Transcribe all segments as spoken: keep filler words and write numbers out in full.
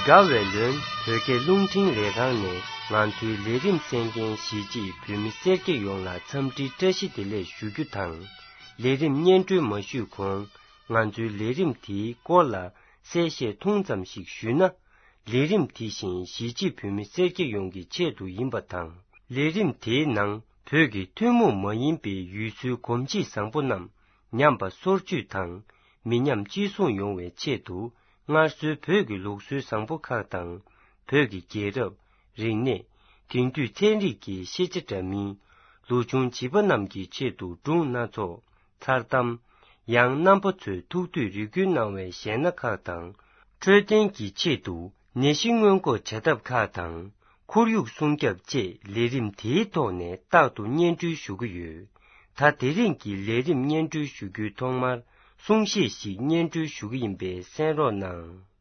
དགའ་བའི་ལོན་བོད་སྐད་རླུང་འཕྲིན་ལས་ཁང་ནས་ང་ཚོའི་ལས་རིམ་གསན་མཁན་གཞིས་བྱེས་བོད་མི་སེར་སྐྱ་ཡོངས་ལ་འཚམས་འདྲི་བཀྲ་ཤིས་བདེ་ལེགས་ཞུ་རྒྱུ་དང་། ལས་རིམ་སྙན་སྒྲོན་མ་ཞུས་གོང་ང་ཚོའི་ལས་རིམ་དེའི་སྐོར་ལ་གསལ་བཤད་ཐུང་ཙམ་ཞིག་ཞུས་ན། ལས་རིམ་དེ་བཞིན་གཞིས་བྱེས་བོད་མི་སེར་སྐྱ་ཡོངས་ཀྱི་ཆེད་དུ་ཡིན་པ་དང་། ལས་རིམ་དེའི་ནང་བོད་ཀྱི་ཐུན་མོང་མ་ཡིན་པའི་ཡུལ་སྲོལ་གོམས་གཤིས་བཟང་པོ་རྣམས་ཉམས་པ་སོར་ཆུད་དང་མི་ཉམས་གཅེས་སྲུང་ཡོང་བའི་ཆེད་དུ། སྔར་སྲོལ་བོད་ཀྱི་ལུགས་སྲོལ་བཟང་པོ་ཁག་དང་། བོད་ཀྱི་རྒྱལ་རབས། རིག་གནས། དེང་དུས་ཚན་རིག་གི་ཤེས་བྱ་འདྲ་མིན། ལོ་ཆུང་བྱིས་པ་རྣམས་ཀྱི་ཆེད་དུ་སྒྲུང་སྣ་ཚོགས། མཚར་གཏམ། ཡང་རྣམ་པ་ཚོས་ཐུགས་འདོད་རེ་སྐུལ་གནང་བའི་གཞས་སྣ་ཁག་དང་། འཕྲོད་བསྟེན་གྱི་ཆེད་དུ་ནད་གཞི་སྔོན་འགོག་བྱ་ཐབས་ཁག་དང་། ཁོར་ཡུག་སྲུང་སྐྱོབ་བཅས་ལས་རིམ་དེའི་ཐོག་ནས་རྟག་ཏུ་སྙན་སྒྲོན་ཞུ་གི་ཡོད། ད་དེ་རིང་གི་ལས་རིམ་སྙན་སྒྲོན་ཞུ་རྒྱུའི་ཐོག་མར་གསུང་བཤད་ཞིག་སྙན་སྒྲོན་ཞུ་གི་ཡིན་པས་གསན་རོགས་གནང་།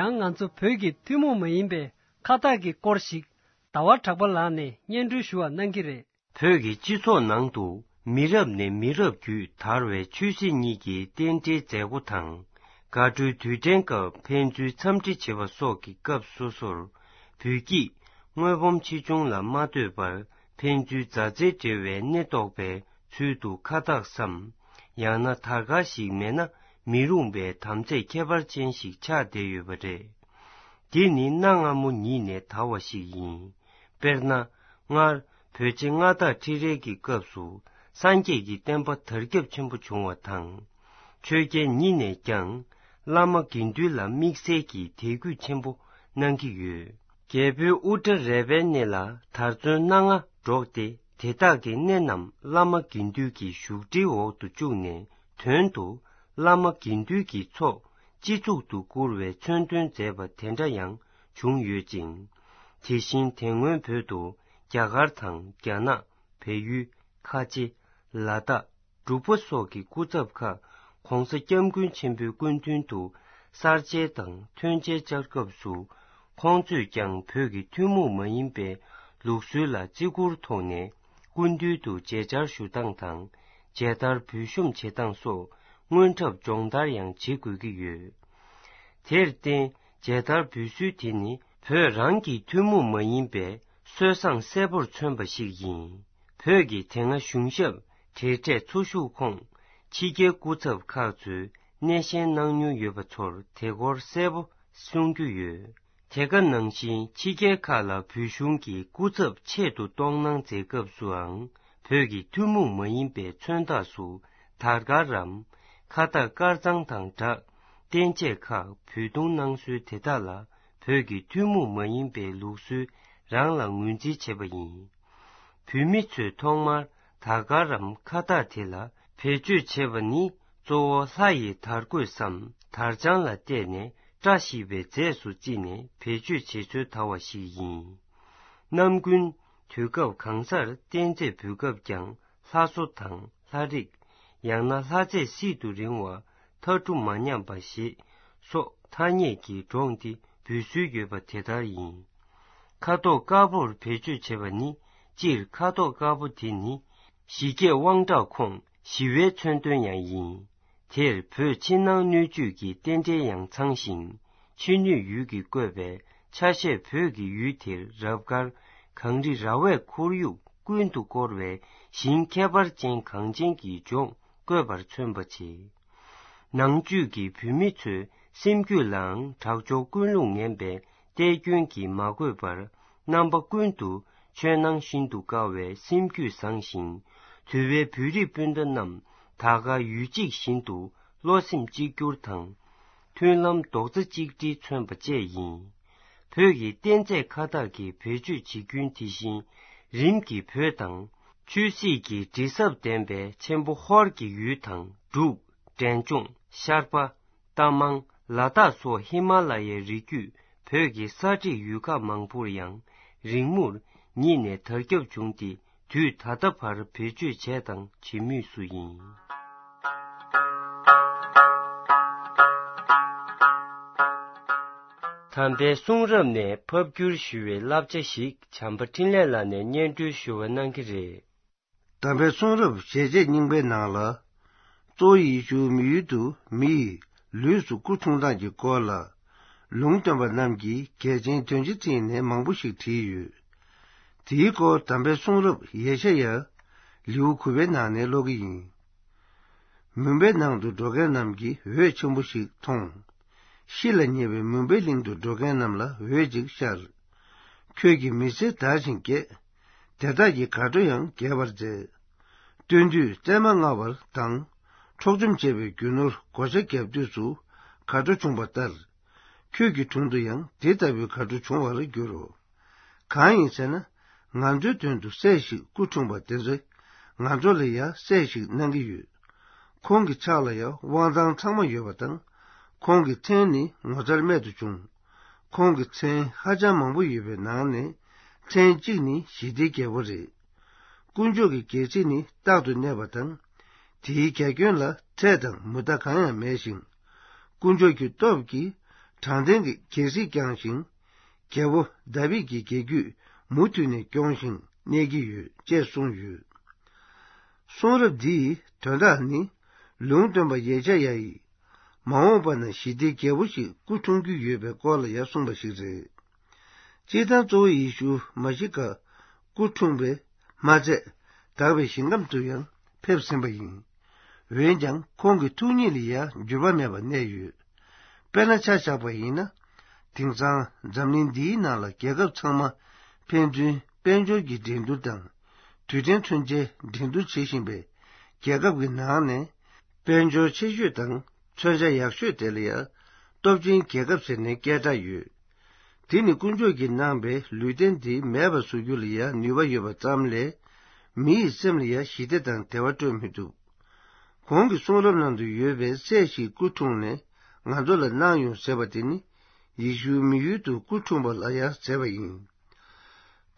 ཡང་ང་ཚོ་བོད་ཀྱི་ཐུན་མོང་མ་ཡིན་པའི་ཁ་བཏགས་ཀྱི་སྐོར་ཞིག་ཟླ་བ་གྲགས་པ་ལགས་ནས་སྙན་སྒྲོན་ཞུ་བ་གནང་གི་རེད། བོད་ཀྱི་སྤྱི་ཚོགས་ནང་དུ་མི་རབས་ནས་མི་རབས་བརྒྱུད་དར་བའི་ཆོས་སྲིད་གཉིས་ཀྱི་རྟེན་འབྲེལ་མཛད་སྒོ་དང་། དགའ་སྤྲོའི་དུས་དྲན་སྐབས་ཕན་ཚུན་འཚམས་འདྲི་བྱེད་པ་སོགས་ཀྱི་སྐབས་སོ་སོར། བོད་ཀྱིས་དངོས་སྦོམ་ཆེ་ཆུང་ལ་མ་ལྟོས་པར་ཕན་ཚུན་མཛའ་བརྩེ་འབྲེལ་བའི་སྣེ་གཏོགས་པའི་ཚུལ་དུ་ཁ་བཏགས་སམ། ཡང་ན་དར་དཀར་ཞིག་མེད་ན་མི་རུང་བའི་དམ་ཚིག་ཁྱད་པར་ཅན་ཞིག་ཆགས་བསྡད་ཡོད་པ་རེད། འདི་ནི་གནའ་སྔ་མོ་ཉིད་ནས་དར་བ་ཞིག་ཡིན། དཔེར་ན། སྔར་བོད་རྗེ་མངའ་བདག་ཁྲི་རལ་གྱི་སྐབས་སུ་སངས་རྒྱས་ཀྱི་བསྟན་པ་དར་ཁྱབ་ཆེན་པོ་བྱུང་བ་དང་། ཆོས་རྒྱལ་ཉིད་ནས་ཀྱང་བླ་མ་དགེ་འདུན་ལ་དམིགས་བསལ་གྱི་དད་གུས་ཆེན་པོ་གནང་གི་ཡོད། རྒྱལ་པོའི་དབུ་སྐྲ་རལ་པའི་སྣེ་ལ་དར་ཚོན་སྣ་ལྔ་སྒྲོག་སྟེ། དེ་དག་གི་སྣེ་རྣམས་བླ་མ་དགེ་འདུན་གྱི་བཞུགས་ཁྲིའི་འོག་ཏུ་བཅུག་ནས། དོན་དུ་བླ་མ་དགེ་འདུན་གྱི་ཚོགས་སྤྱི་གཙུག་ཏུ་བཀུར་བའི་མཚོན་དོན་མཛད་པ་དེ་འདྲ་ཡང་བྱུང་ཡོད་ཅིང་། དེ་བཞིན་དེ་སྔོན་བོད་དུ་རྒྱ་གར་དང་རྒྱ་ནག་བལ་ཡུལ། ཁ་ཆེ། ལ་དྭགས། འབྲུག་པ་སོགས་ཀྱི་སྐུ་ཚབ་ཁག་གོང་ས་སྐྱབས་མགོན་ཆེན་པོའི་སྐུ་མདུན་དུ་གསར་མཇལ་དང་ཐོན་མཇལ་བཅར་སྐབས་སུ། ཁོང་ཚོས་ཀྱང་བོད་ཀྱི་ཐུན་མོང་མ་ཡིན་པའི་ལུགས་སྲོལ་ལ་བརྩི་བཀུར་ཐོག་ནས་སྐུ་མདུན་དུ་མཇལ་བཅར་ཞུ་སྟངས་དང་མཇལ་དར་འབུལ་ཤོམ་བྱེད་སྟངས་སོགས་དངོས་འཁྲབ་སྦྱོང་བརྡར་ཡང་བྱེད་དགོས་ཀྱི་ཡོད། དེར་བརྟེན། མཇལ་དར་འབུལ་སྲོལ་དེ་ནི་བོད་རང་གི་ཐུན་མོང་མ་ཡིན་པའི་སྲོལ་བཟང་གསལ་པོར་མཚོན་པ་ཞིག་ཡིན། བོད་ཀྱི་དེ་སྔ་གཞུང་ཞབས་གྲས་གྲས་འཚོ་བཞུགས་ཁོངས་ཕྱི་རྒྱལ་སྐུ་ཚབ་ཁག་ཚོས་སྣེ་ཤན་གནང་མྱོང་ཡོད་པ་ཚོར་དེ་སྐོར་གསལ་པོ་གསུང་རྒྱུ་ཡོད། དེ་ག་ནང་བཞིན་ཕྱི་རྒྱལ་ཁག་ལ་བོད་གཞུང་གི་སྐུ་ཚབ་ཆེད་དུ་གཏོང་གནང་མཛད་སྐབས་སུའང་བོད་ཀྱི་ཐུན་མོང་མ་ཡིན་པའི་མཚོན་རྟགས་སུ་དར་དཀར་རམ། ཁ་བཏགས་དཀར་གཙང་དང་སྦྲགས་རྟེན་ཆས་ཁག་འབུལ་གཏོང་གནང་སྲོལ་དེ་དག་ལ་བོད་ཀྱི་ཐུན་མོང་མ་ཡིན་པའི་ལུགས་སྲོལ་རང་ལ་ངོས་འཛིན་བྱེད་པ་ཡིན། བོད་མི་ཚོས་ཐོག་མར་དར་དཀར་རམ་ཁ་བཏགས་དེ་ལ་བེད་སྤྱོད་བྱེད་པ་ནི་གཙོ་བོ་ལྷ་ཡི་དར་གོས་སམ་དར་ལྕང་ལ་བལྟས་ནས་བཀྲ་ཤིས་པའི་རྫས་སུ་བརྩིས་ནས་བེད་སྤྱོད་བྱེད་སྲོལ་དར་བ་ཞིག་ཡིན། ནམ་རྒྱུན་དུས་སྐབས་གང་སར་རྟེན་རྫས་འབུལ་སྐབས་ཀྱང་ལྷ་བཟོ་དང་ལྷ་རིགས། ཡང་ན་ལྷ་རྫས་སྲིད་དུ་རིང་བ་ཐ་གྲུ་མ་ཉམས་པ་ཞེས་སོགས་ཐ་སྙད་ཀྱི་སྒྲོམ་སྟེ་འབུལ་སྲོལ་ཡོད་པ་དེ་ལྟར་ཡིན། ཁ་དོག་དཀར་པོར་བེད་སྤྱོད་བྱེད་པ་ནི། སྤྱིར་ཁ་དོག་དཀར་པོ་དེ་ནི་ཞི་རྒྱས་དབང་དྲག་ཁོངས་ཞི་བའི་མཚོན་དོན་ཡང་ཡིན། དེར་བོད་ཕྱི་ནང་སྣོད་བཅུད་ཀྱི་རྟེན་འབྲེལ་ཡང་ཚང་ཞིང་། ཕྱི་སྣོད་ཡུལ་གྱིས་བཀོད་པའི་ཆ་ཤས་བོད་ཀྱི་ཡུལ་དེར་རབ་དཀར་གངས་རི་ར་བས་ཁོར་ཡུག་ཀུན་ཏུ་བསྐོར་བའི་ཞིང་ཁྱད་པར་ཅན་གངས་ཅན་གྱི་ལྗོངས་བཀོད་པར་མཚོན་པ་བྱེད། ནང་བཅུད་ཀྱི་བོད་མི་ཚོའི་སེམས་རྒྱུད་ལའང་དྲག་སྦྱོར་ཀུན་སློང་ངན་པའི་ལྟས་སྐྱོན་གྱིས་མ་གོས་པར། རྣམ་པ་ཀུན་ཏུ་ཆོས་སྣང་ཤིན་ཏུ་དཀར་བའི་སེམས་རྒྱུད་བཟང་ཞིང་། དུལ་བའི་བོད་རིགས་སྤུན་ཟླ་རྣམས་ད་ག་ཡུལ་གཅིག་བཞིན་དུ་བློ་སེམས་གཅིག་གྱུར་དང་། མཐུན་ལམ་རྡོག་རྩ་གཅིག་སྒྲིལ་མཚོན་པ་བཅས་ཡིན། བོད་ཀྱི་རྟེན་རྫས་ཁ་བཏགས་ཀྱི་བེད་སྤྱོད་བྱེད་རྒྱུན་དེ་བཞིན་རིམ་གྱིས་བོད་དང་། ཆོས་སྲིད་ཀྱི་དྲི་ཟབ་ལྡན་པའི་ཆེན་པོ་ཧོར་གྱི་ཡུལ་དང་འབྲུག་འབྲས་ལྗོངས། ཤར་པ། རྟ་མང་། ལ་དྭགས་སོགས་ཧི་མ་ལ་ཡའི་རི་རྒྱུད་བོད་ཀྱི་ས་ཁྲིད་ཡུལ་ཁག་མང་པོར་ཡང་རིང་མོར་ཉིད་ནས་དར་ཁྱབ་བྱུང་སྟེ། དུས་ད་ལྟ་བར་བེད་སྤྱོད་བྱས་དང་བྱེད་མུས་སུ་ཡིན། དམ་པའི་གསུང་རབ་ནས་ཕབ་བསྒྱུར་ཞུ་བའི་བསླབ་བྱ་ཞིག་བྱམས་པ་འཕྲིན་ལས་ལགས་ནས་སྙན་སྒྲོན་ཞུ་བ་གནང་གི་རེད། དམ་པའི་གསུང་རབ་ཞལ་ཆད་རྙིང་པའི་ནང་ལ། གཙོ་བོ་ཡེ་ཤུ་མི་ཡུལ་དུ་མི་ཡི་ལུས་སུ་སྐུ་འཁྲུངས་སྟངས་ཀྱི་སྐོར་ལ། ལུང་སྟོན་པ་རྣམས་ཀྱིས་གལ་ཆེན་དོན་ཆེ་བརྩིས་ནས་མང་པོ་ཞིག་བྲིས་ཡོད། དེའི་སྐོར་དམ་པའི་གསུང་རབ་ཡེ་ཤ་ཡ་ལེའུ་དགུ་པའི་ནང་ནས་ཀློག་གི་ཡིན། མུན་པའི་ནང་དུ་འགྲོ་མཁན་རྣམས་ཀྱིས་འོད་ཆེན་པོ་ཞིག་མཐོང་། ཤི་ལ་ཉེ་བའི་མུན་པའི་གླིང་དུ་འགྲོ་མཁན་རྣམས་ལ་འོད་ཅིག་ཤར། ཁྱོད་ཀྱིས་མི་ཚེ་དར་ཞིང་རྒྱས། དེ་དག་གི་དགའ་སྤྲོ་ཡང་རྒྱས་པར་མཛད། སྟོན་དུས་བཙས་མ་བརྔ་བར་དང་། འཕྲོག་བཅོམ་བྱས་པའི་རྒྱུ་ནོར་བགོ་བཤའ་བརྒྱབ་དུས་སུ་དགའ་སྤྲོ་བྱུང་བ་ལྟར། ཁྱོད་ཀྱི་དྲུང་དུ་ཡང་དེ་ལྟ་བུའི་དགའ་སྤྲོ་འབྱུང་བར་འགྱུར་རོ། གང་ཡིན་ཟེར་ན། ང་ཚོའི་དོན་དུ་སྲས་ཤིག་སྐུ་འཁྲུངས་པ་དེ་ཚོས་ང་ཚོ་ལ་ཡང་སྲས་ཤིག་གནང་གི་ཡོད། ཁོང་གི་ཕྱག་ལ་ཡང་དབང་ཐང་ཚང་མ་ཡོད་པ་དང་། ཁོང་གི་མཚན་ནི་ངོ་མཚར་རྨད་དུ་བྱུང་། ཁོང་གི་མཚན་ཧ་ཅང་མང་པོ་ཡོད་པའི་ནང་ནས་མཚན་གཅིག་ནི་ཞི་བདེའི་རྒྱལ་པོ་རེད། དཀོན་མཆོག་གི་རྒྱལ་སྲིད་ནི་རྟག་ཏུ་གནས་པ་དང་། དེའི་རྒྱ་ཁྱོན་ལ་འཕྲད་དང་མུ་མཐའ་གང་ཡང་མེད་ཞིང་། དཀོན་མཆོག་གི་སྟོབས་ཀྱིས་དྲང་བདེན་གྱི་རྒྱལ་སྲིད་བསྐྱངས་ཤིང་། རྒྱལ་པོ་དཱ་བིད་ཀྱི་རྒྱལ་རྒྱུད་མུ་མཐུད་ནས་སྐྱོང་ཞིང་གནས་ཀྱི་ཡོད་ཅེས་གསུངས་ཡོད། གསུང་རབ་འདིའི་དོན་དག་ནི། ལུང་སྟོན་པ་ཡེ་ཤ་ཡ་ཡིས། མ་འོངས་པ་ན་ཞི་བདེའི་རྒྱལ་པོ་ཞིག་སྐུ་འཁྲུངས་རྒྱུ་ཡོད་པའི་སྐོར་ལ་ཡང་གསུངས་པ་ཞིག་རེད། སྤྱིར་བཏང་གཙོ་བོ་ཡེ་ཤུ་མ་ཤི་ཀ་སྐུ་འཁྲུངས་པས་མ་ཚད། དག་པའི་ཞིང་ཁམས་དུ་ཡང་ཕེབས་ཟིན་པ་ཡིན། འོན་ཀྱང་ཁོང་གི་ཐུགས་ཉིད་ལ་ཡང་འགྱུར་བ་མེད་པར་གནས་ཡོད། དཔེར་ན་ཆ་བཞག་པ་ཡིན་ན། དེང་སང་འཛམ་གླིང་འདིའི་ནང་ལ་རྒྱལ་ཁབ་ཚང་མ་ཕན་ཚུན་ དཔལ་འབྱོར་གྱི་འགྲན་བསྡུར་དང་། རྡུལ་ཕྲན་མཚོན་ཆའི་འགྲན་བསྡུར་བྱེད་བཞིན་པའི་རྒྱལ་ཁབ་ཀྱི་ནང་ནས། དཔལ་འབྱོར་ཆེ་ཤོས་དང་མཚོན་ཆ་ཡག་ཤོས་དེ་ལ་ཡང་སྟོབས་ཆེན་རྒྱལ་ཁབ་ཟེར་ནས་སྐད་གྲགས་ཡོད། དེ་ནི་དཀོན་མཆོག་གིས་གནང་པའི་ལུས་རྟེན་དེ་མེད་པར་བཟོ་རྒྱུ་ལ་ཡང་ནུས་པ་ཡོད་པ་ཙམ་ལས། མི་ཡི་སེམས་ལ་ཡང་ཞི་བདེ་དང་བདེ་བ་སྤྲོད་མི་ཐུབ། གོང་གི་གསུང་རབ་ནང་དུ་ཡོད་པའི་སྲས་ཤིག་སྐུ་འཁྲུངས་ནས་ང་ཚོ་ལ་གནང་ཡོང་ཟེར་བ་དེ་ནི། ཡེ་ཤུ་མི་ཡུལ་དུ་སྐུ་འཁྲུངས་པ་ལ་ཡང་ཟེར་བ་ཡིན།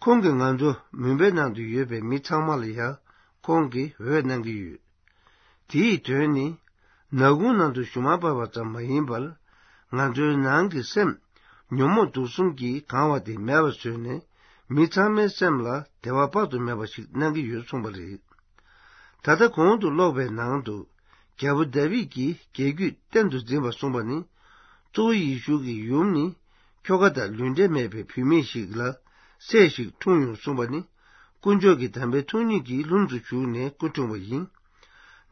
ཁོང་གིས་ང་ཚོ་མུན་པའི་ནང་དུ་ཡོད་པའི་མི་ཚང་མ་ལ་ཡང་ཁོང་གིས་འོད་གནང་གི་ཡོད། དེའི་དོན་ནི། ནག་ཁུང་ནང་དུ་ཞུན་མ་འབབ་པ་ཙམ་མ་ཡིན་པར། ང་ཚོའི་ནང་གི་སེམས་ཉོན་མོངས་དུག་གསུམ་གྱིས་གང་བ་དེ་མེད་པར་བཟོས་ནས། མི་ཚང་མའི་སེམས་ལ་བདེ་བ་དཔག་ཏུ་མེད་པ་ཞིག་གནང་གི་ཡོད་གསུངས་པ་རེད། ད་ལྟ་གོང་དུ་ཀློག་པའི་ནང་དུ། རྒྱལ་པོ་དཱ་བིད་ཀྱི་རྒྱལ་རྒྱུད་བསྟན་དུ་འཛིན་པ་གསུངས་པ་ནི། གཙོ་བོ་ཡེ་ཤུ་གི་ཡུམ་ནི། ཁྱོ་ག་དང་ལུས་འབྲེལ་མེད་པའི་བུད་མེད་ཞིག་ལ་སྲས་ཤིག་འཁྲུངས་ཡོང་གསུངས་པ་ནི། དཀོན་མཆོག་གི་དམ་པའི་ཐུགས་ཉིད་ཀྱི་ལྷུམས་སུ་ཞུགས་ནས་སྐུ་འཁྲུངས་པ་ཡིན།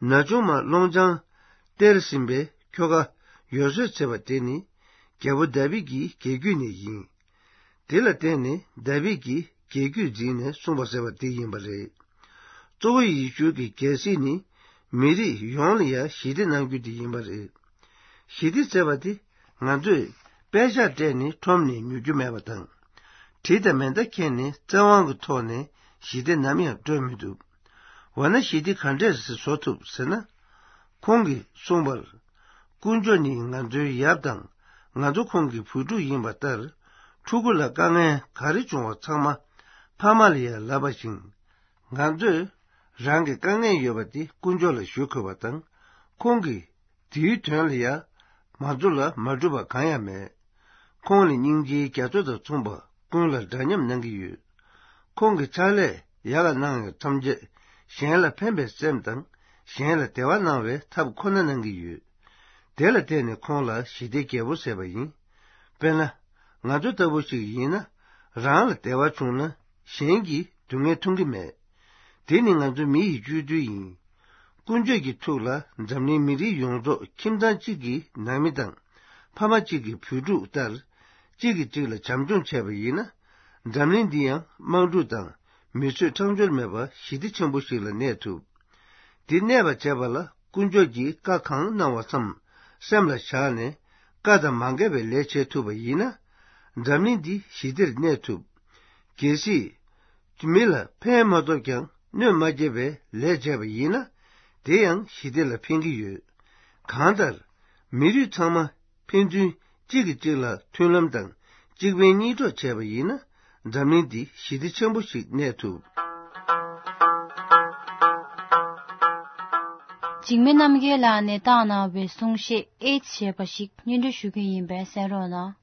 ན་ཆུང་མ་སློང་ལྗང་སྟེར་ཟིན་པའི་ཁྱོ་ག་ཡོ་སེབ་ཟེར་བ་དེ་ནི། རྒྱལ་པོ་དཱ་བིད་ཀྱི་རྒྱལ་རྒྱུད་ནས་ཡིན། དེ་ལ་བརྟེན་ནས་དཱ་བིད་ཀྱི་རྒྱལ་རྒྱུད་འཛིན་ནས་གསུངས་པ་ཟེར་བ་དེ་ཡིན་པ་རེད། གཙོ་བོ་ཡེ་ཤུ་གི་རྒྱལ་སྲིད་ནི། མི་རིགས་ཡོངས་ལ་ཡང་ཞི་བདེ་གནང་རྒྱུ་དེ་ཡིན་པ་རེད། ཞི་བདེ་ཟེར་བ་དེ་ང་ཚོས་པད་ཤག་སྤྲད་ནས་ཁྲོམ་ནས་ཉོ་རྒྱུ་མེད་པ་དང་། གྲི་དང་མེ་མདའ་འཁྱེར་ནས་བཙན་དབང་གི་ཐོག་ནས་ཞི་བདེ་ནམ་ཡང་སྤྲོད་མི་ཐུབ། འོ་ན་ཞི་བདེ་ག་འདྲས་སེ་བཟོ་ཐུབ་ཟེར་ན། ཁོང་གིས་གསུངས་པར། དཀོན་མཆོག་ནི་ང་ཚོའི་ཡབ་དང་ང་ཚོ་ཁོང་གི་བུ་ཕྲུག་ཡིན་པ་ལྟར། ཕྲུ་གུ་ལ་དཀའ་ངལ་ག་རེ་བྱུང་བ་ཚང་མ་ཕ་མ་ལ་ཡང་ལབ་པ་བཞིན། ང་ཚོས་རང་གི་དཀའ་ངལ་ཡོད་པ་དེ་དཀོན་མཆོག་ལ་ཞུ་དགོས་པ་དང་། ཁོང་གིས་དེའི་དོན་ལ་ཡང་ང་ཚོ་ལ་མ་གྲུབ་པ་གང་ཡང་མེད། ཁོང་ནི་སྙིང་རྗེའི་རྒྱ་མཚོ་དང་མཚུངས་པ་ཀུན་ལ་འདྲ་མཉམ་གནང་གི་ཡོད། ཁོང་གི་ཕྱག་ལས་ཡར་ལ་གནང་ཡོད་ཐམས་ཅད་གཞན་ལ་ཕན་པའི་སེམས་དང་གཞན་ལ་བདེ་བ་གནང་བའི་ཐབས་ཁོ་ན་གནང་གི་ཡོད། དེ་ལ་བརྟེན་ནས་ཁོང་ལ་ཞི་བདེའི་རྒྱལ་པོ་ཟེར་བ་ཡིན། དཔེར་ན། ང་ཚོ་ལྟ་བུ་ཞིག་ཡིན་ན། རང་ལ་བདེ་བ་བྱུང་ན་གཞན་གྱིས་སྡུག་བསྔལ་མཐོང་གི་མེད། དེ་ནི་ང་ཚོ་མི་ཡི་སྤྱོད་ཚུལ་ཡིན། དཀོན་མཆོག་གི་ཐུགས་ལ་འཛམ་གླིང་མི་རིགས་ཡོངས་རྫོགས་ཁྱིམ་ཚང་གཅིག་གི་ནང་མི་དང་། ཕ་མ་གཅིག་གི་བུ་ཕྲུག་ལྟར། གཅིག་གིས་གཅིག་ལ་བྱམས་སྐྱོང་བྱས་པ་ཡིན་ན། འཛམ་གླིང་འདི་ཡང་དམངས་སྒྲུང་དང་མི་གསོད་ཁྲག་སྦྱོར་མེད་པ་ཞི་བདེ་ཆེན་པོ་ཞིག་ལ་གནས་ཐུབ། འདི་གནས་པར་བྱེད་པ་ལ་དཀོན་མཆོག་གིས་བཀའ་གང་གནང་བ་ཙམ་སེམས་ལ་བཞག་ནས། བཀའ་དང་མ་འགལ་བའི་ལས་བྱེད་ཐུབ་པ་ཡིན་ན། འཛམ་གླིང་འདི་ཞི་བདེར་གནས་ཐུབ། གལ་སྲིད། མི་ལ་ཕན་མ་ཐོགས་ཀྱང་གནོད་མ་སྐྱེལ་བའི་ལས་བྱས་པ་ཡིན་ན། དེ་ཡང་ཞི་བདེ་ལ་ཕན་གྱི་ཡོད། གང་ལྟར། མི་རིགས་ཚང་མ་ཕན་ཚུན་གཅིག་གིས་གཅིག་ལ་མཐུན་ལམ་དང་གཅིག་ཕན་གཉིས་གྲོགས་བྱས་པ་ཡིན་ན། འཛམ་གླིང་འདི་ཞི་བདེ་ཆེན་པོ་ཞིག་གནས་ཐུབ། འཇིགས་མེད་རྣམ་རྒྱལ་ལགས་ནས་བཏང་གནང་བའི་གསུང་བཤད་ཨེ་ཅེས་ཞེས་པ་ཞིག་སྙན་སྒྲོན་ཞུ་གི་ཡིན་པས་གསན་རོགས་གནང་།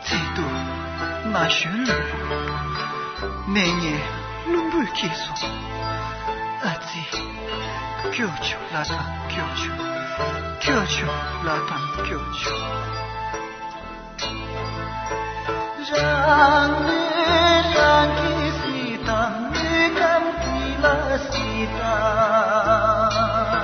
ཚིག་ཏུ་ན་གཞོན་ལུས་པོ། གནས་ངན་རླུང་པོས་ཁྱེར་སོང་། ཨ་ཙི། སྐྱོབ་བྱུང་ལ་དང་སྐྱོབ་བྱུང་། སྐྱོབ་བྱུང་ལ་དང་སྐྱོབ་བྱུང་། རང་ལུས་རང་གིས་གཟིགས་དང་། ལུས་ཁམས་འདི་ལ་གཟིགས་དང་།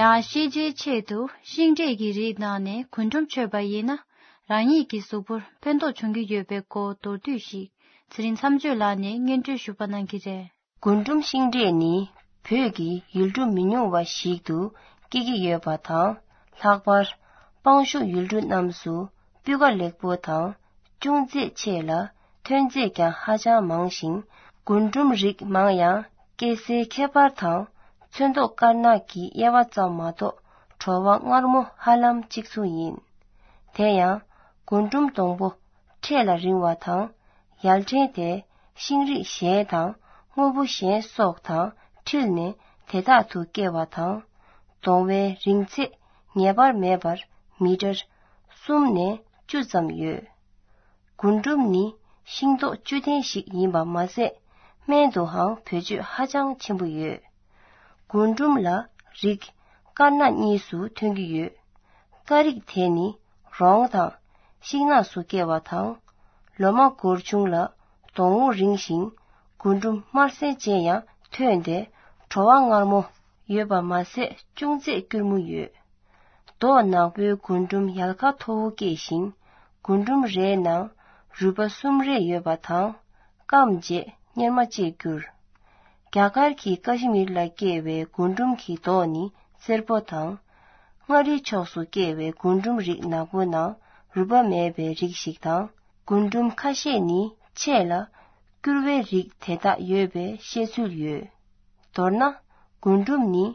ཡང་ཤེས་བྱའི་ཆེད་དུ་ཤིང་འབྲས་ཀྱི་རིགས་ནང་ནས་རྒུན་འབྲུམ་མཆོད་པ་ཡིན་ན། རང་ཉིད་ཀྱི་གཟུགས་པོར་ཕན་ཐོགས་བྱུང་གི་ཡོད་པའི་སྐོར་མདོར་བསྡུས་ཤིག་ཚེ་རིང་མཚམས་གཅོད་ལགས་ནས་སྙན་སྒྲོན་ཞུ་བ་གནང་གི་རེད། རྒུན་འབྲུམ་ཤིང་འབྲས་ནི་བོད་ཀྱི་ཡུལ་གྲུ་མི་ཉུང་བ་ཞིག་ཏུ་སྐྱེ་གི་ཡོད་པ་དང་། ལྷག་པར་སྤང་ཤུག་ཡུལ་གྲུ་རྣམས་སུ་སྤུས་ཀ་ལེགས་པོ་དང་ཅུང་ཚད་ཆེ་ལ། ཐོན་རྫས་ཀྱང་ཧ་ཅང་མང་ཞིང་། རྒུན་འབྲུམ་རིགས་མང་ཡང་སྐྱེ་སའི་ཁྱད་པར་དང་ཚོན་མདོག་དཀར་ནག་གི་དབྱེ་བ་ཙམ་མ་གཏོགས་བྲོ་བ་མངར་མོ་ཧ་ལམ་གཅིག་མཚུངས་ཡིན། དེ་ཡང་རྒུན་འབྲུམ་སྡོང་པོ་འཕྲེད་ལ་རིང་བ་དང་། ཡལ་ཕྲེང་དེ་ཤིང་རིགས་གཞན་དང་སྔོ་བུ་གཞན་སོགས་དང་འཁྲིལ་ནས་དེ་དག་ཏུ་སྐྱེ་བ་དང་། སྡོང་བའི་རིང་ཚད་ངེས་པར་མེད་པར་མི་ཊར་གསུམ་ནས་བཅུ་ཙམ་ཡོད། རྒུན་འབྲུམ་ནི་ཤིང་ཏོག་བཅུད་ལྡན་ཞིག་ཡིན་པ་མ་ཟད། སྨན་དུའང་བེད་སྤྱོད་ཧ་ཅང་ཆེན་པོ་ཡོད། རྒུན་འབྲུམ་ལ་རིགས་དཀར་ནག་གཉིས་སུ་ཐོན་གྱི་ཡོད། དཀར་རིགས་དེ་ནི་རོང་དང་ཤིང་ནགས་སུ་སྐྱེ་བ་དང་། ལོ་མ་འགོར་ཆུང་ལ་སྡོང་བོ་རིང་ཞིང་། རྒུན་འབྲུམ་དམར་སེར་ཅན་ཡང་ཐོན་ཏེ་བྲོ་བ་མངར་མོ་ཡོད་པ་མ་ཟད་ཅུང་ཟད་སྐྱུར་མོ་ཡོད། མདོག་ནག་པོའི་རྒུན་འབྲུམ་ཡལ་ག་མཐོ་བོ་སྐྱེས་ཤིང་། རྒུན་འབྲུམ་རེའི་ནང་རུས་པ་གསུམ་རེ་ཡོད་པ་དང་། སྐམ་རྗེས་གཉེར་མ་བཅས་འགྱུར། རྒྱ་གར་གྱི་ཀ་ཤི་མིར་ལ་སྐྱེ་བའི་རྒུན་འབྲུམ་གྱི་མདོག་ནི་སེར་པོ་དང་། མངའ་རིས་ཕྱོགས་སུ་སྐྱེ་བའི་རྒུན་འབྲུམ་རིགས་ནག་པོ་ནང་རུས་པ་མེད་པའི་རིགས་ཤིག་དང་། རྒུན་འབྲུམ་ཁ་ཤས་ནི་ཆེ་ལ་སྐྱུར་བའི་རིགས་དེ་དག་ཡོད་པའི་བཤད་ཚུལ་ཡོད། མདོར་ན། རྒུན་འབྲུམ་ནི་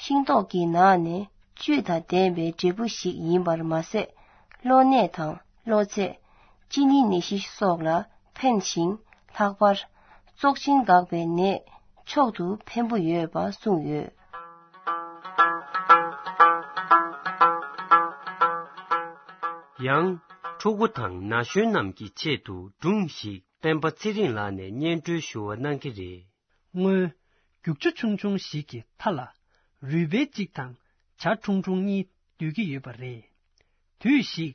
ཤིང་ཏོག་གི་ནང་ནས་བཅུད་དང་ལྡན་པའི་འབྲས་བུ་ཞིག་ཡིན་པར་མ་ཟད། གློ་ནད་དང་གློ་ཚད། གཅིན་སྙི་ནད་གཞི་སོགས་ལ་ཕན་ཞིང་། ལྷག་པར་བཙོག་གཅིན་འགག་པའི་ནད་མཆོག་ཏུ་ཕན་པོ་ཡོད་པ་གསུངས་ཡོད། ཡང་ཕྲུ་གུ་དང་ན་གཞོན་རྣམས་ཀྱི་ཆེད་དུ་སྒྲུང་ཞིག་སྤེན་པ་ཚེ་རིང་ལགས་ནས་སྙན་སྒྲོན་ཞུ་བ་གནང་གི་རེད། སྔོན། རྒྱུག་ཆུ་ཆུང་ཆུང་ཞིག་གི་མཐའ་ལ་རུས་སྦལ་གཅིག་དང་བྱ་ཁྲུང་ཁྲུང་གཉིས་སྡོད་ཀྱི་ཡོད་པ་རེད། དུས་ཤིག་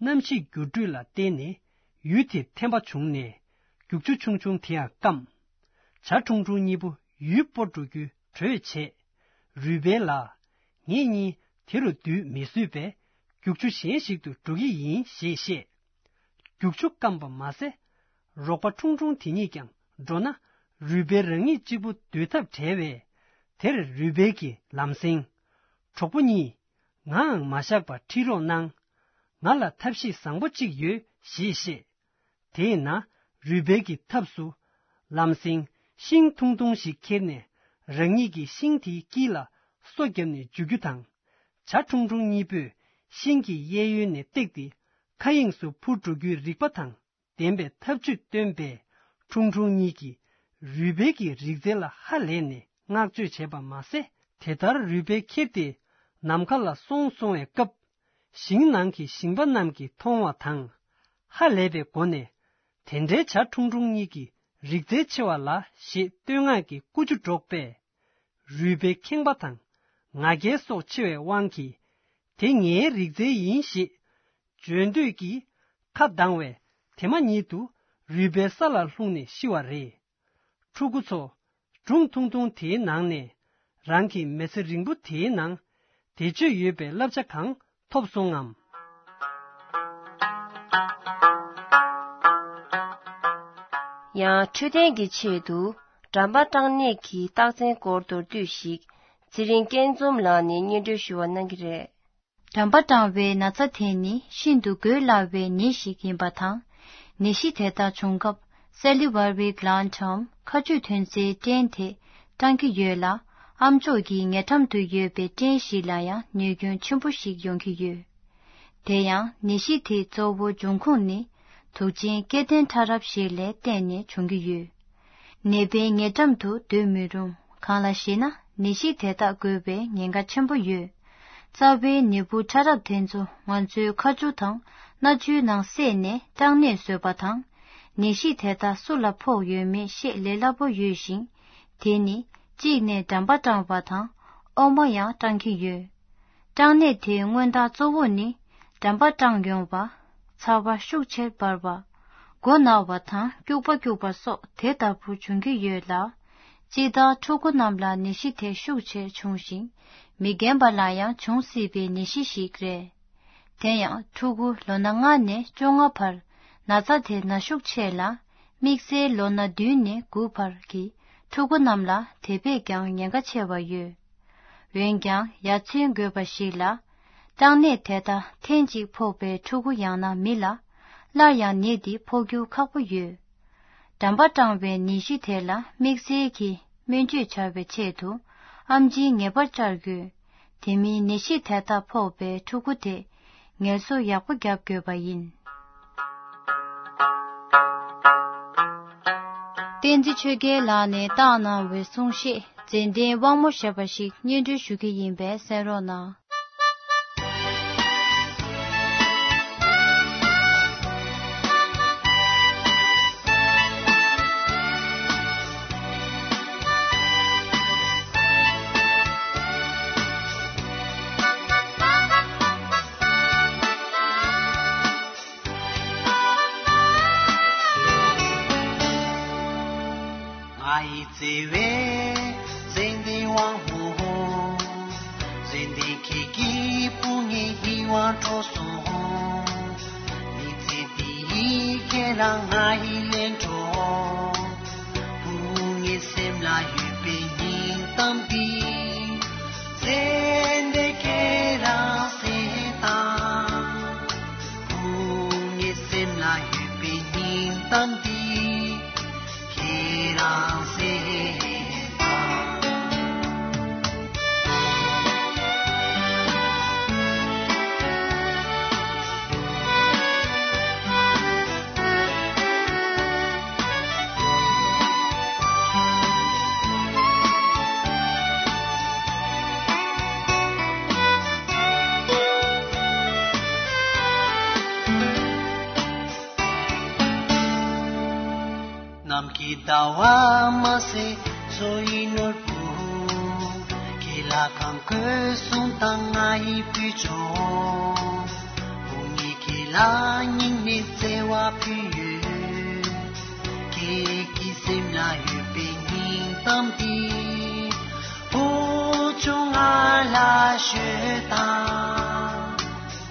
གནམ་གཤིས་འགྱུར་འགྲོས་ལ་བརྟེན་ནས་ཡུལ་དེར་ཐན་པ་བྱུང་ནས་རྒྱུག་ཆུ་ཆུང་ཆུང་དེ་ཡང་སྐམ། བྱ་ཁྲུང་ཁྲུང་གཉིས་པོ་ཡུལ་སྤོ་འགྲོ་རྒྱུའི་གྲོས་བྱས། རུས་སྦལ་ལ། ངེད་གཉིས་དེ་རུ་སྡོད་མི་བཟོད་པས་རྒྱུག་ཆུ་གཞན་ཞིག་ཏུ་འགྲོ་གི་ཡིན་ཞེས་བཤད། རྒྱུག་ཆུ་སྐམ་པ་མ་ཟད། རོགས་པ་ཁྲུང་ཁྲུང་དེ་གཉིས་ཀྱང་འགྲོ་ན་རུས་སྦལ་རང་ཉིད་གཅིག་པུ་སྡོད་ཐབས་བྲལ་བས། དེར་རུས་སྦལ་གྱིས་ལམ་སེང་། གྲོགས་པོ་གཉིས། ངའང་མ་བཞག་པར་ཁྲིད་རོགས་གནང་། ང་ལ་ཐབས་ཤེས་བཟང་པོ་གཅིག་ཡོད་ཞེས་བཤད། དེས་ན་རུས་སྦལ་གྱི་ཐབས་སུ། ལམ་སེང་ཤིང་ཐུང་ཐུང་ཞིག་ཁྱེར་ནས་རང་ཉིད་ཀྱིས་ཤིང་དེའི་དཀྱིལ་ལ་སོ་བརྒྱབ་ནས་འཇུ་རྒྱུ་དང་། བྱ་ཁྲུང་ཁྲུང་གཉིས་པོས་ཤིང་གི་གཡས་གཡོན་ནས་བཏེགས་ཏེ་མཁའ་དབྱིངས་སུ་འཕུར་འགྲོ་རྒྱུའི་རིག་པ་དང་ལྡན་པའི་ཐབས་ཇུས་བཏོན་པས། ཁྲུང་ཁྲུང་གཉིས་ཀྱིས་རུས་སྦལ་གྱི་རིག་རྩལ་ལ་ཧ་ལས་ནས་བསྔགས་བརྗོད་བྱས་པ་མ་ཟད། དེ་ལྟར་རུས་སྦལ་ཁྱེར་ཏེ་ནམ་མཁའ་ལ་སོང་སོང་བའི་སྐབས། ཞིང་ནང་གི་ཞིང་པ་རྣམས་ཀྱིས་མཐོང་བ་དང་། ཧ་ལས་པའི་སྒོ་ནས། དེ་འདྲའི་བྱ་ཁྲུང་ཁྲུང་གཉིས་ཀྱི་རིག་རྩལ་ཆེ་བ་ལ་ཞེས་བསྟོད་བསྔགས་ཀྱི་ཀུ་ཅོ་སྒྲོག་པས། རུས་སྦལ་ཁེངས་པ་དང་ང་རྒྱལ་སོགས་ཆེ་བའི་དབང་གིས། དེ་ངའི་རིག་རྩལ་ཡིན་ཞེས་བརྗོད་འདོད་ཀྱིས་ཁ་གདངས་བས། དེ་མ་ཉིད་དུ་རུས་སྦལ་ས་ལ་ལྷུང་ནས་ཤི་བ་རེད། ཕྲུ་གུ་ཚོ། སྒྲུང་ཐུང་ཐུང་དེའི་ནང་ནས་རང་གི་མི་ཚེ་རིང་པོ་དེའི་ནང་བེད་སྤྱོད་ཡོད་པའི་བསླབ་བྱ་གང་ཐོབ་སོང་ངམ། ཡང་འཕྲོད་བསྟེན་གྱི་ཆེད་དུ་འགྲམ་པ་སྐྲངས་ནད་ཀྱི་རྟགས་མཚན་སྐོར་མདོར་བསྡུས་ཤིག་ཚེ་རིང་སྐྱིད་འཛོམས་ལགས་ནས་སྙན་སྒྲོན་ཞུ་བ་གནང་གི་རེད། འགྲམ་པ་སྐྲངས་པའི་ན་ཚ་དེ་ནི་ཤིན་ཏུ་འགོས་སླ་བའི་ནད་ཞིག་ཡིན་པ་དང་། ནད་གཞི་དེ་ལྟར་བྱུང་སྐབས་སེ་ལི་ཝར་བི་གླན་ཊམ་ཁ་གཅོད་ཐོན་རྫས་སྐྲན་དེ་སྐྲངས་ཀྱི་ཡོད་ལ། ཨ་མཆོག་གི་ཉེ་འགྲམ་དུ་ཡོད་པའི་སྐྲན་ཞིག་ལ་ཡང་ནུས་རྒྱུན་ཆེན་པོ་ཞིག་ཡོང་གི་ཡོད། དེ་ཡང་ནད་གཞི་དེའི་གཙོ་བོ་འབྱུང་ཁུངས་ནི་དུག་ཅན་སྐྱེ་ལྡན་ཕྲ་རབས་ཤིག་ལ་བརྟེན་ནས་བྱུང་གི་ཡོད། ནད་པའི་ཉེ་འགྲམ་དུ་སྡོད་མི་རུང་། གང་ལ་ཞེ་ན་ནད་གཞི་དེ་དག་འགོས་པའི་ཉེན་ཁ་ཆེན་པོ་ཡོད། རྩ་བའི་ནད་འབུ་ཕྲ་རབས་དེ་ཚོ་ང་ཚོའི་ཁ་ཆུ་དང་སྣ་ཆུའི་ནང་བསྲེས་ནས་སྐྲན་ནད་བཟོས་པ་དང་། ནད་གཞི་དེ་དག་སུ་ལ་ཕོག་ཡོད་མེད་ཤེས་སླ་པོ་ཡོད་ཅིང་། དེ་ནི་གཅིག་ནས་འགྲམ་པ་སྐྲངས་པ་དང་ཨོག་མ་ཡང་སྐྲངས་ཀྱི་ཡོད། སྐྲན་ནད་དེའི་མངོན་རྟགས་གཙོ་བོ་ནི་འགྲམ་པ་སྐྲངས་ཡོང་བ། ཚ་བ་ཤུགས་ཆེར་འབར་བ། མགོ་ན་བ་དང་སྐྱུག་པ་སྐྱུག་པ་སོགས་དེ་ལྟ་བུ་འབྱུང་གི་ཡོད་ལ། སྤྱིར་བཏང་ཕྲུ་གུ་རྣམས་ལ་ནད་གཞི་དེ་ཤུགས་ཆེར་འབྱུང་ཞིང་། མི་རྒན་པ་ལ་ཡང་འབྱུང་སྲིད་པའི་ནད་གཞི་ཞིག་རེད། དེ་ཡང་ཕྲུ་གུ་ལོ་ན་ལྔ་ནས་བཅོ་ལྔ་བར་ན་ཚ་དེ་ན་ཤུགས་ཆེ་ལ། དམིགས་བསལ་ལོ་ན་བདུན་ནས་དགུ་བར་གྱི་ཕྲུ་གུ་རྣམས་ལ་དེ་བས་ཀྱང་ཉེན་ཁ་ཆེ་བ་ཡོད། འོན་ཀྱང་ཡ་མཚན་དགོས་པ་ཞིག་ལ། སྐྲན་ནད་དེ་དག་ཐེངས་གཅིག་ཕོག་པའི་ཕྲུ་གུ་ཡང་ན་མི་ལ་སླར་ཡང་ནད་འདི་ཕོག་རྒྱུ་ཁག་པོ་ཡོད། འགྲམ་པ་སྐྲངས་པའི་ནད་གཞི་དེ་ལ་དམིགས་བསལ་གྱི་སྨན་བཅོས་བྱ་བའི་ཆེད་དུ་ཨེམ་ཆི་ངེས་པར་བཅར་དགོས། དེ་མིན་ནད་གཞི་དེ་དག་ཕོག་པའི་ཕྲུ་གུ་དེ་ངལ་གསོ་ཡག་པོ་རྒྱབ་དགོས་པ་ཡིན། བསྟན་འཛིན་ཆོས་རྒྱལ་ལགས་ནས་བཏང་གནང་བའི་གསུང་བཤད་མཛད་འཕྲིན་དབང་མོ་ཞེས་པ་ཞིག་སྙན་སྒྲོན་ཞུ་གི་ཡིན་པས་གསན་རོགས་གནང་། ང་ཡི་བརྩེ་བའི་མཛེས་ལྡན་དབང་མོ། མཛེས་ལྡན་ཁྱེད་ཀྱི་སྤུན་ཉེ་ཡིད་དབང་འཕྲོག་སོང་། མི་ཚེ་འདི་ཡི་ཁྱེད་ལ་ང་ཡི་ལན་འཕྲོག་སྤུན་ཉེ་སེམས་ལ་ཡོད་པའི་སྙིང་གཏམ་འདི། ཚེ་འདི་ཁྱེད་རང་སེམས་དང་། སྤུན་ཉེ་སེམས་ལ་ཡོད་པའི་སྙིང་གཏམ་འདི། ཁྱེད་རང་སེམས་དང་། ནམ་མཁའི་ཟླ་བ་མ་ཟད་མཚོ་ཡི་ནོར་བུ། ཁྱེད་ལ་གང་དགོས་གསུང་དང་ང་ཡི་བུ་ཆུང་། སྤུན་ཉེ་ཁྱེད་ལ་སྙིང་ནས་བརྩེ་བ་ཕུལ་ཡོད། ཁྱེད་ཀྱི་སེམས་ལ་ཡོད་པའི་སྙིང་གཏམ་འདི། བུ་ཆུང་ང་ལ་ཤོད་དང་།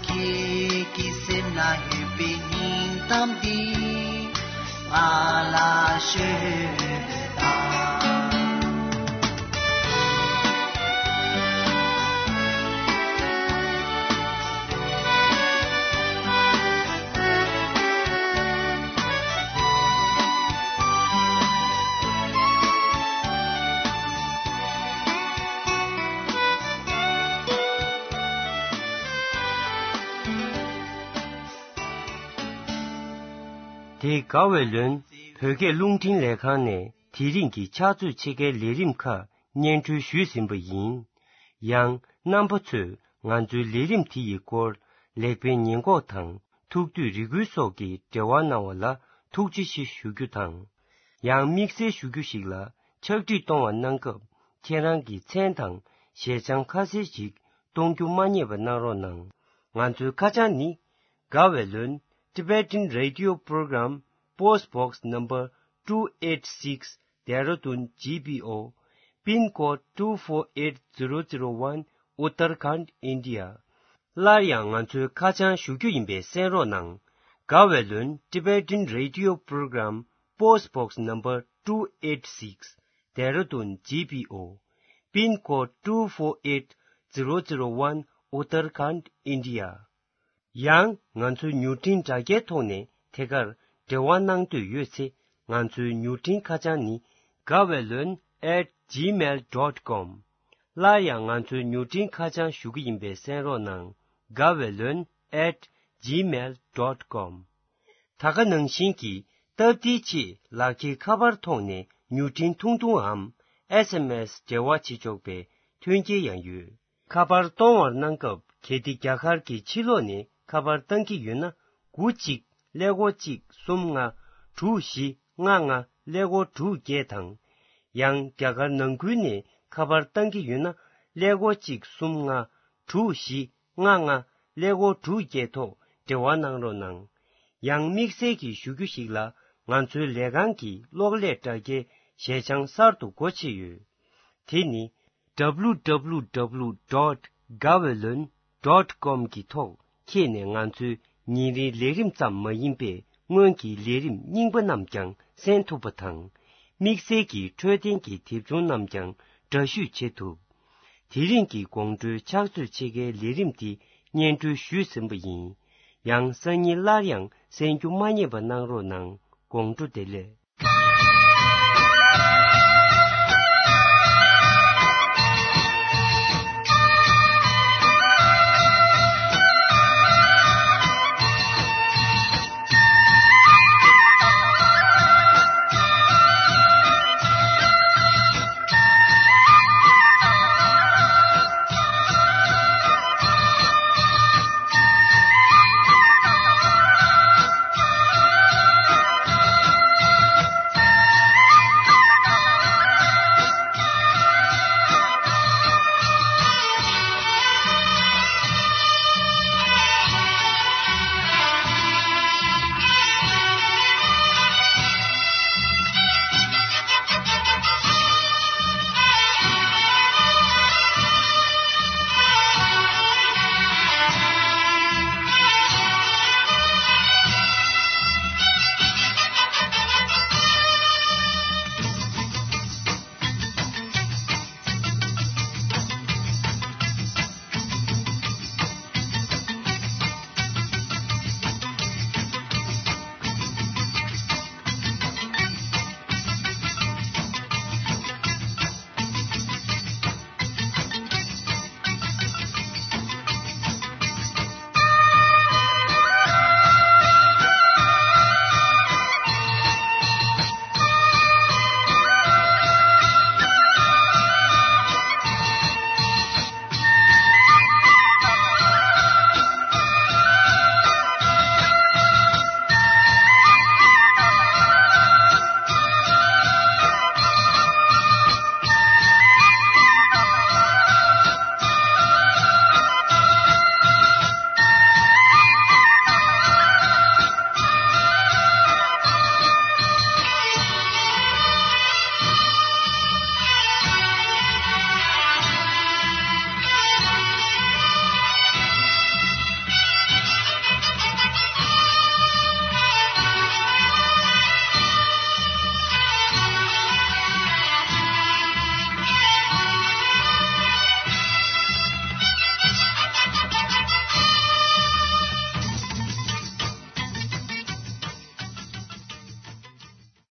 ཁྱེད་ཀྱི་སེམས་ལ་ཡོད་པའི་སྙིང་གཏམ་འདི། ང་ལ་ཤོད་དང་། དེ་དགའ་བའི་ལོན་བོད་སྐད་རླུང་འཕྲིན་ལས་ཁང་ནས་དེ་རིང་གི་ཕྱག་ཚོད་ཕྱེད་ཀའི་ལས་རིམ་ཁག་སྙན་སྒྲོན་ཞུས་ཟིན་པ་ཡིན། ཡང་རྣམ་པ་ཚོས་ང་ཚོའི་ལས་རིམ་དེ་ཡི་སྐོར་ལེགས་སྤེལ་ཉེས་འགོག་དང་ཐུགས་འདོད་རེ་སྐུལ་སོགས་ཀྱི་འབྲེལ་བ་གནང་བ་ལ་ཐུགས་རྗེ་ཆེ་ཞུ་རྒྱུ་དང་། ཡང་དམིགས་བསལ་ཞུ་རྒྱུ་ཞིག་ལ་ཕྱག་བྲིས་གཏོང་བ་གནང་སྐབས་ཁྱེད་རང་གི་མཚན་དང་ཞལ་བྱང་ཁ་གསལ་ཞིག་གཏོང་རྒྱུ་མ་བསྙེལ་བ་གནང་རོགས་གནང་། ང་ཚོའི་ཁ་བྱང་ནི། དགའ་བའི་ལོན། Tibetan Radio Program, Post Box Number two eight six, Dehradun G P O, Pin Code two four eight zero zero one, Uttarakhand, India. སླར་ཡང་ང་ཚོའི་ཁ་བྱང་ཞུ་རྒྱུ་ཡིན་པས་གསན་རོགས་གནང་། དགའ་བའི་ལོན། Tibetan Radio Program, Post Box Number two eight six, Dehradun G P O, Pin Code two four eight zero zero one, Uttarakhand, India. ཡང་ང་ཚོའི་མྱུར་འཕྲིན་དྲ་རྒྱའི་ཐོག་ནས་ཐད་ཀར་འབྲེལ་བ་གནང་འདོད་ཡོད་ཚེ། ང་ཚོའི་མྱུར་འཕྲིན་ཁ་བྱང་ནི། དགའ་བའི་ལོན་at gmail dot com། སླར་ཡང་ང་ཚོའི་མྱུར་འཕྲིན་ཁ་བྱང་ཞུ་གི་ཡིན་པས་གསན་རོགས་གནང་། Gawaylon at gmail dot com། ད་ག་ནང་བཞིན་གྱི་སྟབས་བདེའི་ཆེད་ལག་འཁྱེར་ཁ་པར་ཐོག་ནས་མྱུར་འཕྲིན་ཐུང་ཐུང་འམ་ཨེས་ཨེམ་ཨེས་འབྲེལ་བ་བྱེད་ཆོག་པའི་མཐུན་རྐྱེན་ཡང་ཡོད། ཁ་པར་གཏོང་བར་གནང་སྐབས་གལ་ཏེ་རྒྱ་གར་གྱི་ཕྱི་ལོགས་ནས་ཁ་པར་བཏང་གི་ཡོད་ན། དགུ་གཅིག་ཀླད་ཀོར་གཅིག་གསུམ་ལྔ་དྲུག་བཞི་ལྔ་ལྔ་ཀླད་ཀོར་དྲུག་བརྒྱད་དང་། ཡང་རྒྱ་གར་ནང་ཁུལ་ནས་ཁ་པར་བཏང་གི་ཡོད་ན། ཀླད་ཀོར་གཅིག་གསུམ་ལྔ་དྲུག་བཞི་ལྔ་ལྔ་ཀླད་ཀོར་དྲུག་བརྒྱད་ཐོག་འབྲེལ་བ་གནང་རོགས་གནང་། ཡང་དམིགས་བསལ་གྱི་ཞུ་རྒྱུ་ཞིག་ལ། ང་ཚོའི་ལས་ཁང་གི་གློག་ཀླད་དྲ་རྒྱའི་ཞལ་བྱང་གསར་དུ་སྒོ་ཕྱེ་ཡོད། དེ་ནི། www dot gawaylon dot com གི་ཐོག་འཁྱེར་ནས་ང་ཚོའི་ཉིན་རེའི་ལས་རིམ་ཙམ་མ་ཡིན་པའི་སྔོན་གྱི་ལས་རིམ་རྙིང་པ་རྣམས་ཀྱང་གསན་ཐུབ་པ་དང་། དམིགས་བསལ་གྱི་འཕྲོད་བསྟེན་གྱི་དེབ་ཆུང་རྣམས་ཀྱང་འདྲ་བཤུས་བྱེད་ཐུབ། དེ་རིང་གི་དགོང་དྲོའི་ཕྱག་ཚོད་ཕྱེད་ཀའི་ལས་རིམ་འདི་སྙན་སྒྲོན་ཞུས་ཟིན་པ་ཡིན། ཡང་སང་ཉིན་སླར་ཡང་གསན་རྒྱུ་མ་བསྙེལ་བ་གནང་རོགས་གནང་། དགོང་དྲོ་བདེ་ལེགས།